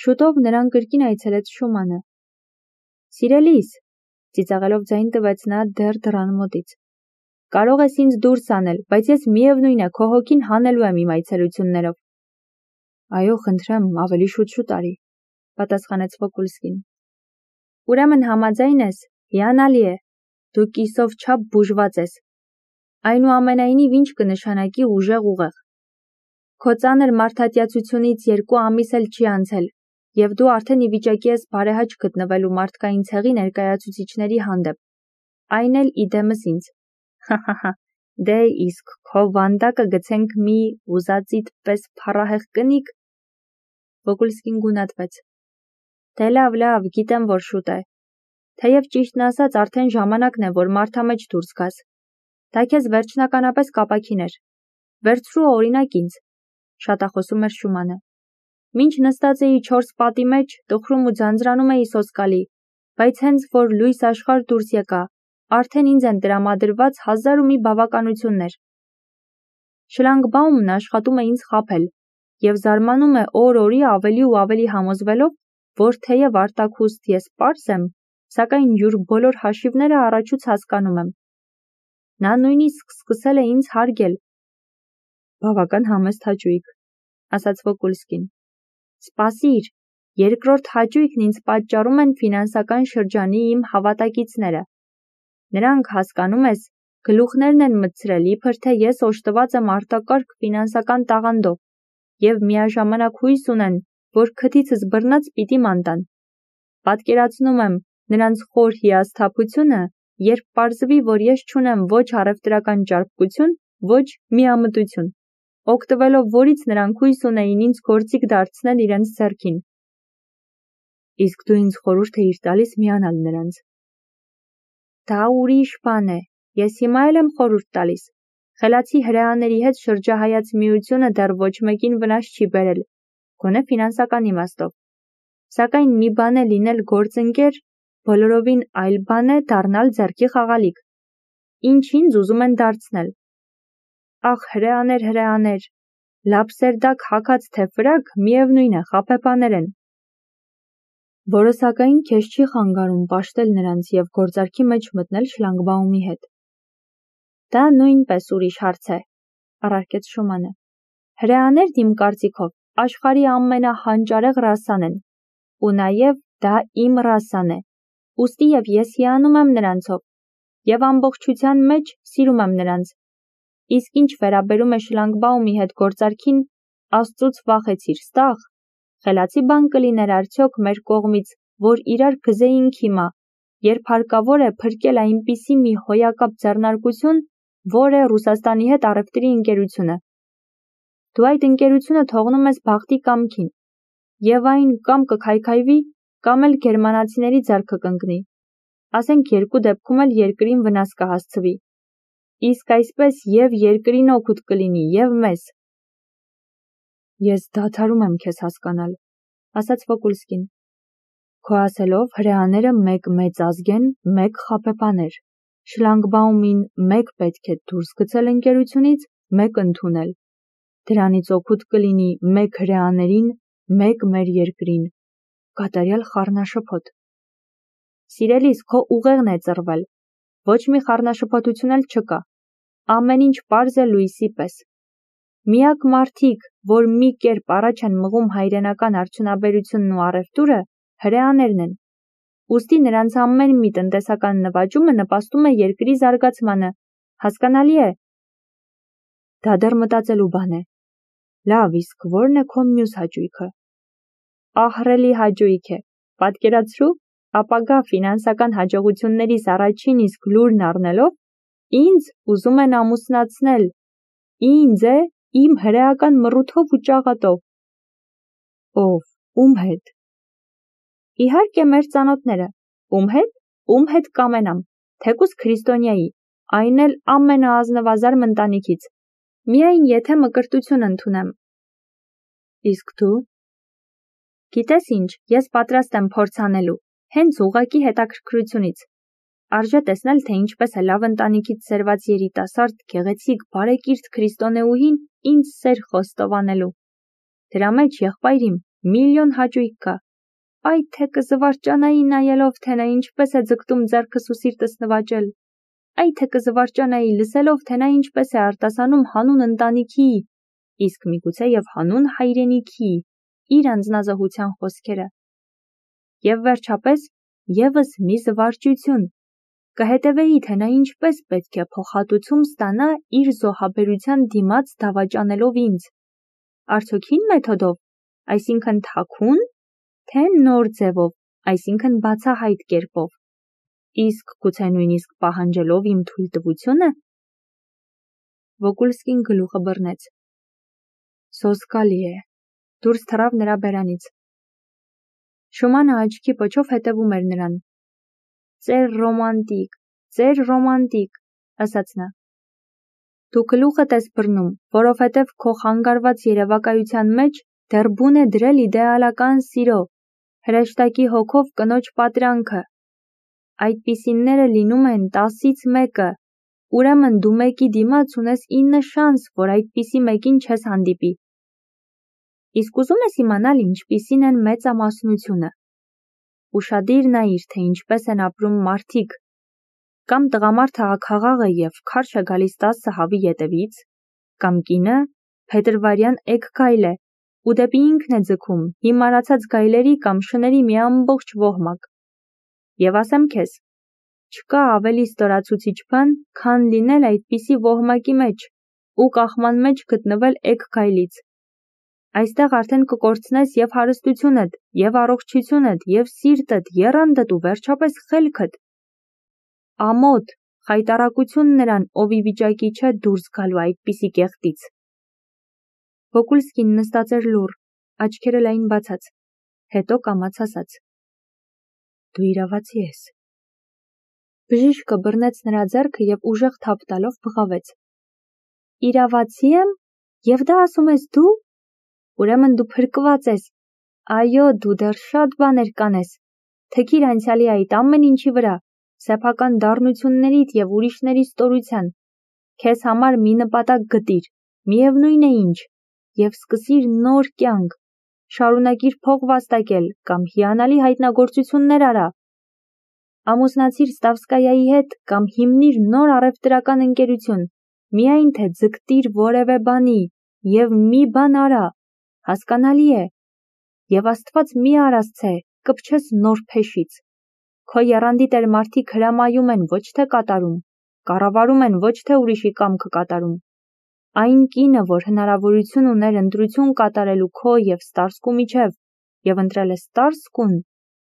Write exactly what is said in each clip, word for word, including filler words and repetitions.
Շուտով նրան կրկին այցելեց Շումանը։ Սիրելիս, ծիծաղելով ձայն տվեց նա դեռ դռան մոտից։ Կարող ես ինձ դուրս անել, բայց ես միևնույն է քո հոգին հանելու եմ իմ այցելություններով։ Այո, խնդրեմ, ավելի շուտ-շուտ արի, պատասխանեց Վոկուլսկին։ Ուրեմն համաձայն ես, հիանալի է, դու կիսով չափ բուժված ես։ Այնուամենայնիվ ինչ կնշանակի ուժեղ ուղեղ։ Քո ծանր մարդատյացությունից երկու ամիս էլ չի անցել, և դու արդեն ի վիճակի ես բարեհաճ գտնվելու մարդկային ցեղի ներկայացուցիչների հանդեպ, այն էլ իդեմս ինձ։ Հահահա, դե իսկ քո վանդակը գցենք մի ուզածիդ պես փառահեղ կնիկ։ Վոկուլսկին գունատվեց։ Դե լավ, լավ, գիտեմ, որ շուտ է։ Թեև ճիշտն ասած արդեն ժամանակն է, որ մարդամեջ դուրս գաս։ Դա քեզ վերջնականապես կապաքին էր։ Վերցրու օրինակ ինձ, շատախոսում էր Շումանը։ Մինչ նստած էի չորս պատի մեջ, տխրում ու ձանձրանում էի սոսկալի, բայց հենց որ լույս աշխարհ դուրս եկա, արդեն ինձ են տրամադրված հազար ու մի բավականություններ։ Շլանգբաումն աշխատում է ինձ խաբել և զարմանում է օր-օրի ավելի ու ավելի համոզվելով, որ թեև արտաքուստ ես պարզ եմ, սակայն յուր բոլոր հաշիվները առաջուց հասկանում եմ։ Նա նույնիսկ սկսել է ինձ հարգել։ Բավական համեստ հաճույք, ասաց Վոկուլսկին։ Սպասիր, երկրորդ հաճույքն ինձ պատճառում են ֆինանսական շրջանի իմ հավատակիցները։ Նրանք, հասկանում ես, գլուխներն են մտցրել, իբր թե ես օժտված եմ արտակարգ ֆինանսական տաղանդով և միաժամանակ հույս ունեն, որ քթիցս բռնած պիտի ման տան։ Պատկերացնում եմ նրանց խոր հիասթափությունը, երբ պարզվի, որ ես չունեմ ոչ առևտրական ճարպկություն, ոչ միամտություն, օգտվելով որից նրանք հույս ունեին ինձ գործիք դարձնել իրենց ձեռքին։ Իսկ դու ինձ խորհուրդ էիր տալիս միանալ նրանց։ Դա ուրիշ բան է, ես հիմա էլ եմ խորհուրդ տալիս։ Խելացի հրեաների հետ շրջահայաց միությունը դեռ ոչ մեկին վնաս չի բերել, գոնե ֆինանսական իմաստով։ Սակայն մի բան է լինել գործընկեր, բոլորովին այլ բան է դառնալ ձեռքի խաղալիք։ Ինչ ինձ ուզում են դարձնել։ Ախ, հրեաներ, հրեաներ, լապսերդակ հագած թե ֆրակ, միևնույն է, խաբեբաներ են։ Որը սակայն քեզ չի խանգարում պաշտել նրանց և գործարքի մեջ մտնել Շլանգբաումի հետ։ Դա նույնպես ուրիշ հարց է, առարկեց Շումանը։ Հրեաներն իմ կարծիքով աշխարհի ամենահանճարեղ ռասան են, ու նաև դա իմ ռասան է, ուստի և ես հիանում եմ նրանցով, և ամբողջության մեջ սիրում եմ նրանց։ Իսկ ինչ վերաբերում է Շլանգբաումի հետ գործարքին, Աստծուց վախեցիր, ստաղ, խելացի բան կլիներ արդյոք մեր կողմից, որ իրար գզեինք հիմա, երբ հարկավոր է փրկել այնպիսի մի հոյակապ ձեռնարկություն, որ է Ռուսաստանի հետ առևտրի ընկերությունը։ Դու այդ ընկերությունը թողնում ես բախտի կամքին, և այն կամ կքայքայվի, կամ էլ գերմանացիների ձեռքը կընկնի։ Ասենք երկու դեպքում էլ երկրին վնաս կհասցվի։ Իսկ այսպես և երկրին օգուտ կլինի, և մեզ։ Ես դադարում եմ քեզ հասկանալ, ասաց Վոկուլսկին։ Քո ասելով հրեաները մեկ մեծ ազգ են, մեկ խաբեբաներ։ Շլանգբաումին մեկ պետք է դուրս գցել ընկերությունից, մեկ ընդունել։ Դրանից օգուտ կլինի մեկ հրեաներին, մեկ մեր երկրին։ Կատարյալ խառնաշփոթ։ Սիրելիս, քո ուղեղն է ծռվել։ Ոչ մի խառնաշփոթություն էլ չկա։ Ամեն ինչ պարզ է լույսի պես։ Միակ մարդիկ, որ մի կերպ առաջ են մղում հայրենական արդյունաբերությունն ու առևտուրը, հրեաներն են։ Ուստի նրանց ամեն մի տնտեսական նվաճումը նպաստում է երկրի զարգացմանը, հասկանալի է։ Դա դեռ մտածելու բան է։ Լավ, իսկ ո՞րն է քո մյուս հաճույքը։ Ահռելի հաճույք է, պատկերացրու, ապագա ֆինանսական հաջողություններիս առաջին իսկ լուրն առնելով, ինձ ուզում են ամուսնացնել։ Ինձ է, իմ հրեական մռութով ու ճաղատով։ Ով, ում հետ։ Իհարկե մեր ծանոթները, ում հետ, ում հետ կամենամ, թեկուզ քրիստոնյայի, այն էլ ամենաազնվազարմ ընտանիքից, միայն եթե մկրտություն ընդունեմ։ Իսկ դու։ Գիտես ինչ, ես պատրաստ եմ փորձ անելու, հենց ուղղակի հետաքրքրությունից։ Արժե տեսնել, թե ինչպես է լավ ընտանիքից սերված երիտասարդ, գեղեցիկ, բարեկիրթ քրիստոնեուհին ինձ սեր խոստովանելու։ Դրա մեջ եղբայր իմ, միլիոն հաճույք կա։ Այ թե կզվարճանայի նայելով, թե նա ինչպես է ձգտում ձեռքս ու սիրտս նվաճել։ Այ թե կզվարճանայի լսելով, թե նա ինչպես է արտասանում հանուն ընտանիքի, իսկ միգուցե և հանուն հայրենիքի, իր անձնազոհության խոսքերը։ Եվ վերջապես, ևս մի զվարճություն, կհետևեի, թե նա ինչպես պետք է փոխհատուցում ստանա իր զոհաբերության դիմաց դավաճանելով ինձ, արդյոք հին մեթոդով, այսինքն թաքուն, թե նոր ձևով, այսինքն բացահայտ կերպով, իսկ գուցե նույնիսկ պահանջելով իմ թույլտվությունը։ Վոգուլսկին գլուխը բռնեց։ Սոսկալի է, դուրս թռավ նրա բերանից։ Շումանը աչքի պոչով հետևում էր նրան։ Ծեր ռոմանտիկ, ծեր ռոմանտիկ, ասաց նա։ Դու գլուխդ ես բռնում, որովհետև քո խանգարված երևակայության մեջ դեռ բուն է դրել իդեալական սիրո, հրեշտակի հոգով կնոջ պատրանքը։ Այդպիսինները լինում են տասից մեկը, ուրեմն դու մեկի դիմաց ունես ինը շանս, որ այդպիսի մեկին չես հանդիպի։ Իսկ ուզում ես իմանալ ինչպիսին են մեծամասնությունը։ Ուշադիր նայիր, թե ինչպես են ապրում մարդիկ։ Կամ տղամարդը աքաղաղ է և քարշ է գալիս տասը հավի ետևից, կամ կինը փետրվարյան էգ գայլ է ու դեպի ինքն է ձգում հիմարացած գայլերի կամ շների մի ամբողջ ոհմակ։ Եվ ասեմ քեզ, չկա ավելի ստորացուցիչ բան, քան լինել այդպիսի ոհմակի մեջ ու կախման մեջ գտնվել էգ գայլից։ Այստեղ արդեն կկորցնես և հարստությունդ, և առողջությունդ, և սիրտդ, եռանդդ ու վերջապես խելքդ։ Ամոթ, խայտառակություն նրան, ով ի վիճակի չէ դուրս գալու այդպիսի կեղտից։ Վոգուլսկին նստած էր լուռ, աչքերը լայն բացած, հետո կամաց ասաց. Դու իրավացի ես։ Բժիշկը բռնեց նրա ձեռքը և ուժեղ թափ տալով բղավեց. Իրավացի եմ, և դա ասում ես դու։ Ուրեմն դու փրկված ես։ Այո, դու դեռ շատ բաներ կանես։ Թքիր անցյալի այդ ամեն ինչի վրա, սեփական դառնություններիդ և ուրիշների ստորության։ Քեզ համար մի նպատակ գտիր, միևնույն է ինչ, և սկսիր նոր կյանք։ Շարունակիր փող վաստակել կամ հիանալի հայտնագործություններ արա։ Ամուսնացիր Ստավսկայայի հետ կամ հիմնիր նոր առևտրական ընկերություն, միայն թե ձգտիր որևէ բանի և մի բան արա, հասկանալի է։ Եվ Աստված մի արասցե, կպչես նոր փեշից։ Քո եռանդի տեր մարդիկ հրամայում են, ոչ թե կատարում, կառավարում են, ոչ թե ուրիշի կամքը կատարում։ Այն կինը, որ հնարավորություն ուներ ընտրություն կատարելու քո և Ստարսկու միջև, և ընտրել է Ստարսկուն,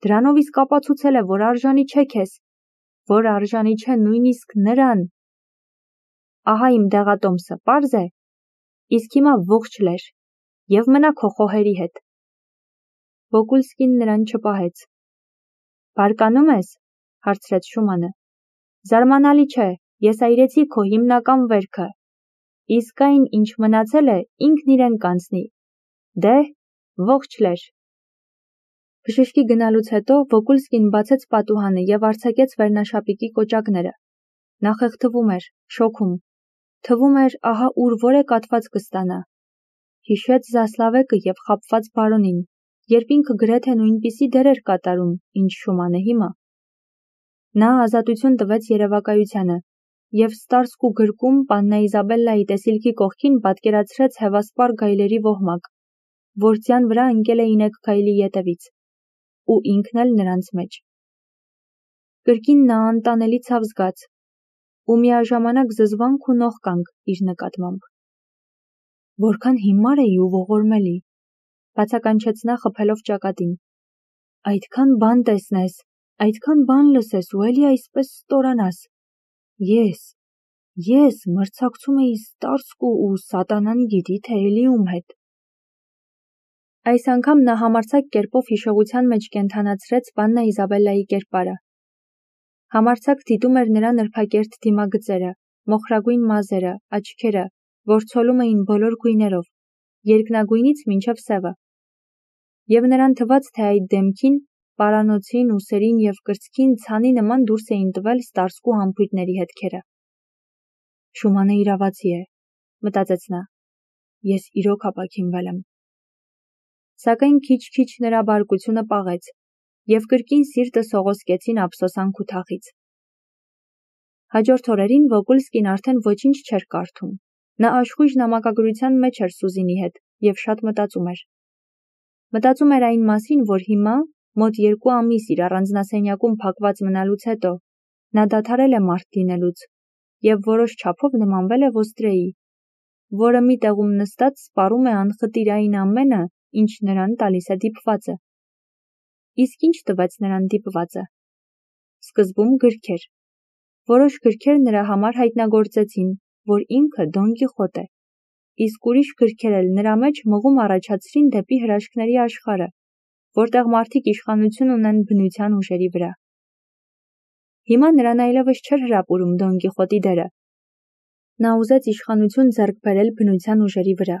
դրանով իսկ ապացուցել է, որ արժանի չէ քեզ, որ արժանի չէ նույնիսկ նրան։ Ահա իմ դեղատոմսը, պարզ է։ Իսկ հիմա ողջ լեր և մնա քո խոհերի հետ։ Վոգուլսկին նրան չպահեց։ Բարկանում ես, հարցրեց Շումանը։ Զարմանալի չէ, ես այրեցի քո հիմնական վերքը։ Իսկ այն, ինչ մնացել է, ինքն իրեն կանցնի։ Դե, ողջ լեր։ Բժշկի գնալուց հետո Վոգուլսկին բացեց պատուհանը և արձակեց վերնաշապիկի կոճակները։ Նա խեղդվում էր, շոքում։ Թվում էր, ահա ուր որ է կաթված կստանա։ Հիշեց Զասլավեկը և խաբված բարոնին, երբ ինքը գրեթե նույնպիսի դեր էր կատարում, ինչ Շումանը հիմա։ Նա ազատություն տվեց երևակայությանը և Ստարսկու գրկում Պաննա Իզաբելլայի տեսիլքի կողքին պատկերացրեց հևասպար գայլերի ոհմակ, որ ձյան վրա ընկել էին էգ գայլի ետևից, ու ինքն էլ նրանց մեջ։ Կրկին նա անտանելի ցավ զգաց ու միաժամանակ զզվանք ու նողկանք իր նկատմամբ։ Որքան հիմար էի ու ողորմելի, բացականչեց նա խփելով ճակատին։ Այդքան բան տեսնես, այդքան բան լսես ու էլի այսպես ստորանաս։ Ես, ես մրցակցում էի Ստարսկու ու սատանան գիտի թե էլի ում հետ։ Այս անգամ նա համարձակ կերպով հիշողության մեջ կենդանացրեց Պաննա Իզաբելլայի կերպարը։ Համարձակ դիտում էր նրա նրբակերտ դիմագծերը, մոխրագույն մազերը, աչքերը, որ ցոլում էին բոլոր գույներով, երկնագույնից մինչև սևը։ Եվ նրան թվաց, թե այդ դեմքին, պարանոցին, ուսերին և կրծքին ցանի նման դուրս էին տվել Ստարսկու համբույրների հետքերը։ Շումանը իրավացի է, մտածեց նա։ Ես իրոք ապաքինվել եմ։ Սակայն քիչ-քիչ նրա բարկությունը պաղեց, և կրկին սիրտը սողոսկեցին ափսոսանք ու թախիծ։ Հաջորդ օրերին Վոգոլսկին արդեն ոչինչ չէր կարդում։ Նա աշխույժ նամակագրության մեջ էր Սուզինի հետ և շատ մտածում էր։ Մտածում էր այն մասին, որ հիմա, մոտ երկու ամիս իր առանձնասենյակում փակված մնալուց հետո, նա դադարել է մարդ լինելուց և որոշ չափով նմանվել է ոստրեի, որը մի տեղում նստած սպառում է անխտիր այն ամենը, ինչ նրան տալիս է դիպվածը։ Իսկ ինչ տվեց նրան դիպվածը։ Սկզբում գրքեր։ Որոշ գրքեր նրա համար հայտնագործեցին, որ ինքը Դոն Կիխոտ է, իսկ ուրիշ գրքեր էլ նրա մեջ մղում առաջացրին դեպի հրաշքների աշխարհը, որտեղ մարդիկ իշխանություն ունեն բնության ուժերի վրա։ Հիմա նրան այլևս չէր հրապուրում Դոն Կիխոտի դերը։ Նա ուզեց իշխանություն ձեռք բերել բնության ուժերի վրա։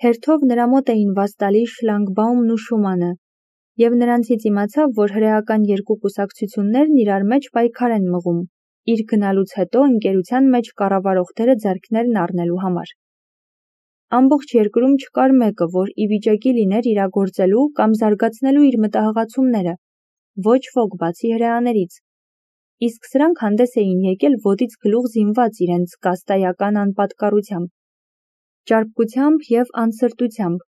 Հերթով նրա մոտ էին Վաստալի, Շլանգբաումն ու Շումանը, և նրանցից իմացավ, որ հրեական երկու կուսակցություններն իրար մեջ պայքար են մղում, իր գնալուց հետո ընկերության մեջ կառավարող դերը ձեռքներն առնելու համար։ Ամբողջ երկրում չկար մեկը, որ ի վիճակի լիներ իրագործելու կամ զարգացնելու իր մտահղացումները, ոչ ոք բացի հրեաներից։ Իսկ սրանք հանդես էին եկել ոտից գլուխ զինված իրենց կաստայական անպատկառությամբ, ճարպկությամբ և անսրտությամբ,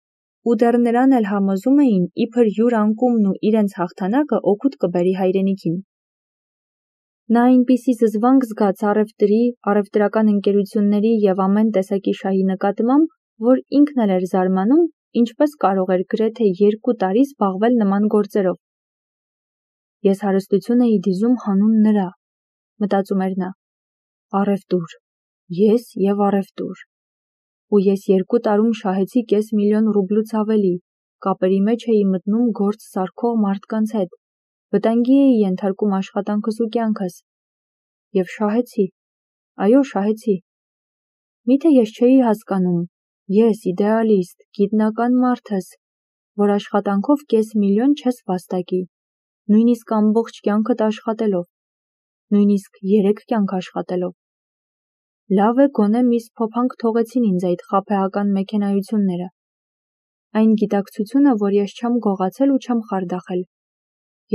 ու դեռ նրան էլ համոզում էին, իբր յուր անկումն ու իրենց հաղթանակը օգուտ կբերի հայրենիքին։ Նա այնպիսի զզվանք զգաց առևտրի, առևտրական ընկերությունների և ամեն տեսակի շահի նկատմամբ, որ ինքն էլ էր զարմանում, ինչպես կարող էր գրեթե երկու տարի զբաղվել նման գործերով։ Ես հարստություն էի դիզում հանուն նրա, մտածում էր նա։ Առևտուր, ես և առևտուր։ Ու ես երկու տարում շահեցի կես միլիոն ռուբլուց ավելի, կապերի մեջ էի մտնում գործ սարքող մարդկանց հետ, վտանգի էի ենթարկում աշխատանքս ու կյանքս։ Եվ շահեցի, այո, շահեցի։ Միթե ես չէի հասկանում, ես իդեալիստ, գիտնական մարդս, որ աշխատանքով կես միլիոն չես վաստակի, նույնիսկ ամբողջ կյանքդ աշխատելով, նույնիսկ երեք կյանք աշխատելով։ Լավ է, գոնե միս փոփանք թողեցին ինձ այդ խաբեական մեքենայությունները։ Այն գիտակցությունը, որ ես չեմ գողացել ու չեմ խարդախել։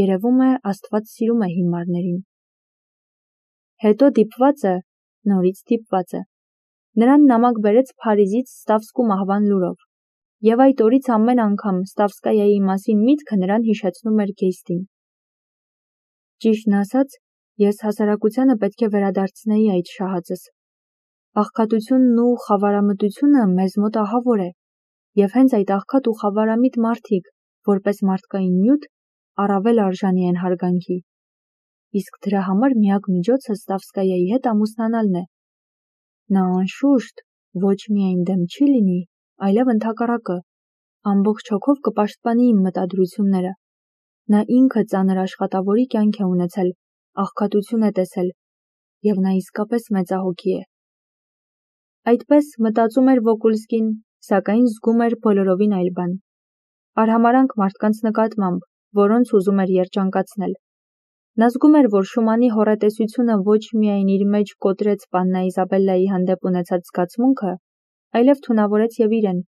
Երևում է, Աստված սիրում է հիմարներին։ Հետո դիպվածը, նորից դիպվածը, նրան նամակ բերեց Փարիզից Ստավսկու մահվան լուրով, և այդ օրից ամեն անգամ Ստավսկայայի մասին միտքը նրան հիշեցնում էր Գեյստին։ Ճիշտն ասած, ես հասարակությանը պետք է վերադարձնեի այդ շահածս։ Աղքատությունն ու խավարամտությունը մեզ մոտ ահավոր է, և հենց այդ աղքատ ու խավարամիտ մարդիկ, որպես մարդկային նյութ, առավել արժանի են հարգանքի։ Իսկ դրա համար միակ միջոցը Ստավսկայայի հետ ամուսնանալն է։ Նա անշուշտ ոչ միայն դեմ չի լինի, այլև ընդհակառակը, ամբողջ հոգով կպաշտպանի իմ մտադրությունները։ Նա ինքը ծանր աշխատավորի կյանք է ունեցել, աղքատություն է տեսել, և նա իսկապես մեծահոգի է։ Այդպես մտածում էր Վոգոլսկին, սակայն զգում էր բոլորովին այլ բան։ Արհամարհանք մարդկանց նկատմամբ, որոնց ուզում էր երջանկացնել։ Նա զգում էր, որ Շումանի հոռետեսությունը ոչ միայն իր մեջ կոտրեց պաննա Իզաբելլայի հանդեպ ունեցած զգացմունքը, այլև թունավորեց և իրեն։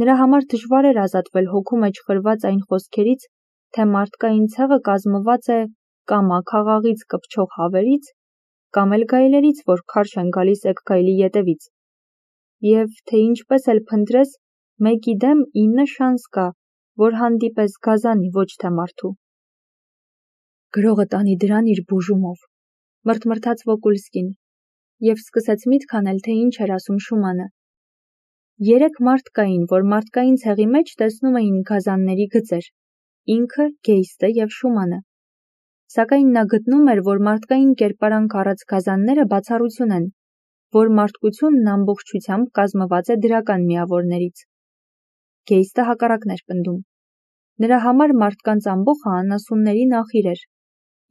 Նրա համար դժվար էր ազատվել հոգու մեջ խրված այն խոսքերից, թե մարդկային ցեղը կազմված է կամ աքաղաղից կպչող հավերից, կամ էլ գայլերից, որ քարշ են գալիս էգ գայլի ետևից, և թե ինչպես էլ փնտրես, մեկի դեմ ինը շանս կա, որ հանդիպես գազանի, ոչ թե մարդու։ Գրողը տանի դրան իր բուժումով, մրթմրթաց Վոգոլսկին, և սկսեց միտք անել, թե ինչ էր ասում Շումանը։ Երեք մարդ կային, որ մարդկային ցեղի մեջ տեսնում էին գազանների գծեր, ինքը, Գեյստը և Շումանը։ Սակայն նա գտնում էր, որ մարդկային կերպարանք առած գազանները բացառություն են, որ մարդկությունն ամբողջությամբ կազմված է դրական միավորներից։ Գեյստը հակառակն էր պնդում։ Նրա համար մարդկանց ամբոխը անասունների նախիր էր,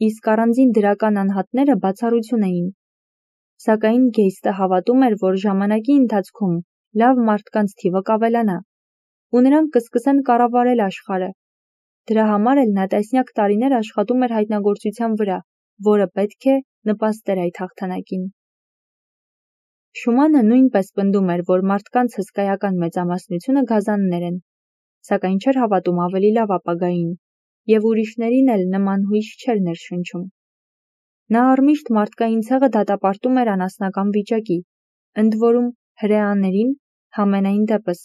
իսկ առանձին դրական անհատները բացառություն էին։ Սակայն Գեյստը հավատում էր, որ ժամանակի ընթացքում լավ մարդկանց թիվը կավելանա, ու նրանք կսկսեն կառավարել աշխարհը։ Դրա համար էլ նա տասնյակ տարիներ աշխատում էր հայտնագործության վրա, որը պետք է նպաստեր այդ հաղթանակին։ Շումանը նույնպես պնդում էր, որ մարդկանց հսկայական մեծամասնությունը գազաններ են, սակայն չէր հավատում ավելի լավ ապագային, և ուրիշներին էլ նման հույս չէր ներշնչում։ Նա առմիշտ մարդկային ցեղը դատապարտում էր անասնական վիճակի, ընդ որում հրեաներին, համենայն դեպս,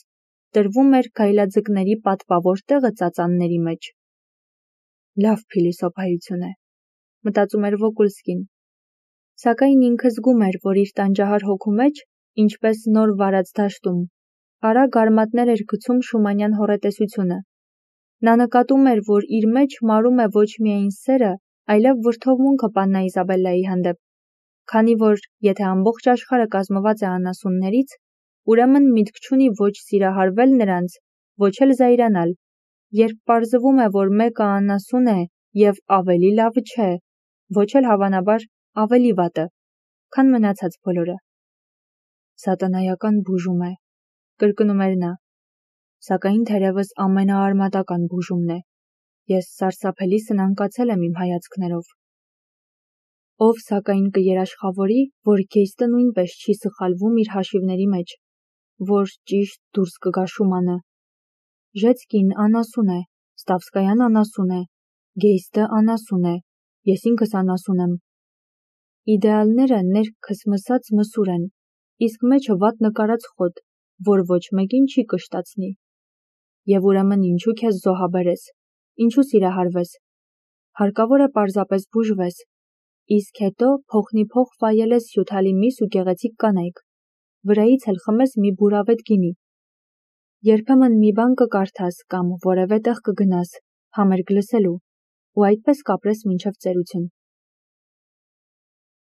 տրվում էր գայլաձկների պատվավոր տեղը ծածանների մեջ։ Լավ փիլիսոփայություն է, մտածում էր Վոկուլսկին, սակայն ինքը զգում էր, որ իր տանջահար հոգու մեջ, ինչպես նոր վարած դաշտում, արագ արմատներ էր գցում Շումանյան հոռետեսությունը։ Նա նկատում էր, որ իր մեջ մարում է ոչ միայն սերը, այլև վրդովմունքը պաննա Իզաբելլայի հանդեպ, քանի որ, եթե ամբողջ աշխարհը կազմված է անասուններից, ուրեմն միտք չունի ոչ սիրահարվել նրանց, ոչ էլ զայրանալ, երբ պարզվում է, որ մեկը անասուն է և ավելի լավը չէ, ոչ էլ հավանաբար ավելի վատը, քան մնացած բոլորը։ Սատանայական բուժում է, կրկնում էր նա, սակայն թերևս ամենաարմատական բուժումն է։ Ես սարսափելի սնանկացել եմ իմ հայացքներով։ Ով սակայն կերաշխավորի, որ Գեյստը նույնպես չի սխալվում իր հաշիվների մեջ, որ ճիշտ դուրս կգա Շումանը։ Ժեցկին անասուն է, Ստավսկայան անասուն է, Գեյստը անասուն է, ես ինքս անասուն եմ։ Իդեալները ներքս մսած մսուր են, իսկ մեջը վատ նկարած խոտ, որ ոչ մեկին չի կշտացնի։ Եվ ուրեմն ինչու քեզ զոհաբերես, ինչու սիրահարվես։ Հարկավոր է պարզապես բուժվես, իսկ հետո փոխնիփոխ վայելես հյութալի միս ու գեղեցիկ կանայք, վրայից էլ խմես մի բուրավետ գինի։ Երբեմն մի բան կկարդաս կամ որևէ տեղ կգնաս, համերգ լսելու, ու այդպես կապրես մինչև ծերություն։